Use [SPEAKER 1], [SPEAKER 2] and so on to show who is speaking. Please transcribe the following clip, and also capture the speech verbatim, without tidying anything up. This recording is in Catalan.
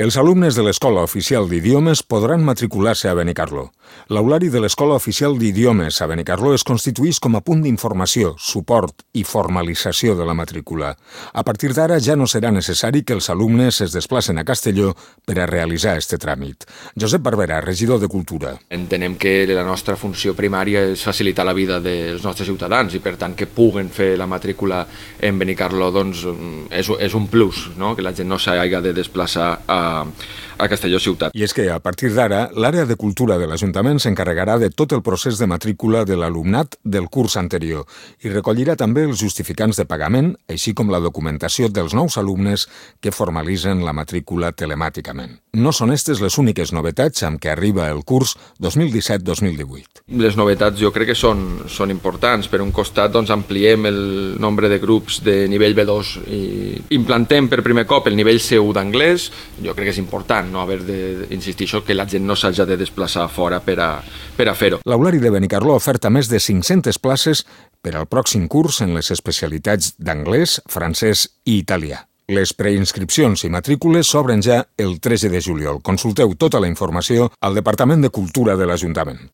[SPEAKER 1] Els alumnes de l'Escola Oficial d'Idiomes podran matricular-se a Benicarló. L'aulari de l'Escola Oficial d'Idiomes a Benicarló es constituïx com a punt d'informació, suport i formalització de la matrícula. A partir d'ara ja no serà necessari que els alumnes es desplacen a Castelló per a realitzar este tràmit. Josep Barberà, regidor de Cultura.
[SPEAKER 2] Entenem que la nostra funció primària és facilitar la vida dels nostres ciutadans i per tant que puguen fer la matrícula en Benicarló doncs, és, és un plus, no? Que la gent no s'hagi de desplaçar a a Castelló ciutat.
[SPEAKER 1] I és que, a partir d'ara, l'àrea de cultura de l'Ajuntament s'encarregarà de tot el procés de matrícula de l'alumnat del curs anterior i recollirà també els justificants de pagament, així com la documentació dels nous alumnes que formalitzen la matrícula telemàticament. No són aquestes les úniques novetats amb què arriba el curs dos mil disset dos mil divuit.
[SPEAKER 2] Les novetats jo crec que són, són importants. Per un costat doncs, ampliem el nombre de grups de nivell B dos i implantem per primer cop el nivell C u d'anglès. Jo crec que és important no haver d'insistir això, que la gent no s'hagi de desplaçar fora per a, per a fer-ho.
[SPEAKER 1] L'aulari de Benicarló oferta més de cinc-centes places per al pròxim curs en les especialitats d'anglès, francès i italià. Les preinscripcions i matrícules s'obren ja el tretze de juliol. Consulteu tota la informació al Departament de Cultura de l'Ajuntament.